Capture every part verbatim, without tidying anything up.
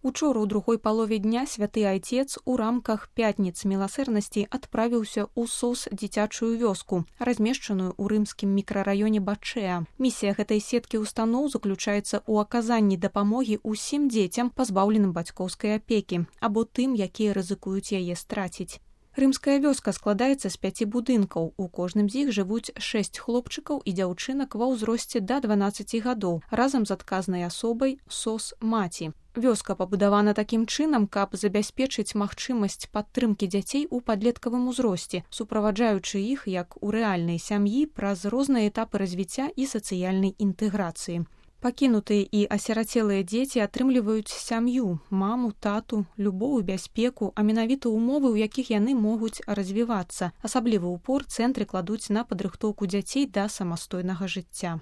Учора ў другой палове дня святы айцец у рамках пятніц міласэрнасці адправіўся ў СОС дзіцячую вёску, размешчаную ў рымскім мікрараёне Бачэа. Місія гэтай сеткі устаноў заключаецца ў аказанні дапамогі ўсім дзецям, пазбаўленым бацькоўскай апекі, або тым, якія рызыкуюць яе страціць. Рымская вёска складаецца з пяці будынкаў. У кожным з іх жывуць шэсць хлопчыкаў і дзяўчынак ва ўзросце да дванаццаці гадоў, разам з адказнай асобай СОС маці. Вёска пабудавана такім чынам, каб забяспечыць магчымасць падтрымкі дзяцей у падлеткавым узросце, суправаджаючы іх як у рэальнай сям'і праз розныя этапы развіцця і сацыяльнай інтэграцыі. Пакінутыя і асірацелыя дзеці атрымліваюць сям'ю, маму, тату, любоў і бяспеку, а менавіта ўмовы, у якіх яны могуць развівацца. Асаблівы ўпор цэнтры кладуць на падрыхтоўку дзяцей да самастойнага жыцця.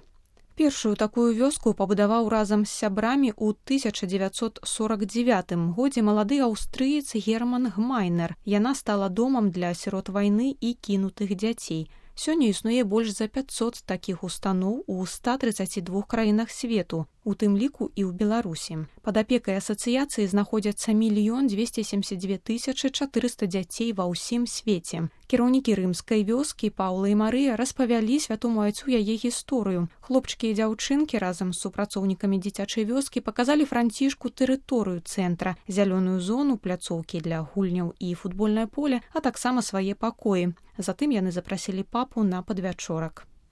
Першую такую вёску пабудаваў разам з сябрамі ў тысяча дзевяцьсот сорак дзевятым годзе малады аўстрыец Герман Гмайнер. Яна стала домам для сірот вайны і кінутых дзяцей. Сёння існуе больш за пяцьсот такіх устаноў у ста трыццаці двух краінах свету, у тым ліку і ў Беларусі. Пад апекай асацыяцыі знаходзяцца мільён дзвесце семдзесят дзве тысячы чатырыста дзяцей ва ўсім свеце. Кіраўнікі рымскай вёскі Паўла і Марыя распавялі святому айцу яе гісторыю. Хлопчыкі і дзяўчынкі разам з супрацоўнікамі дзіцячай вёскі паказалі Францішку тэрыторыю цэнтра, зялёную зону, пляцоўкі для гульняў і футбольнае поле, а таксама свае пакоі. Затым яны запрасілі папу на падвячорак.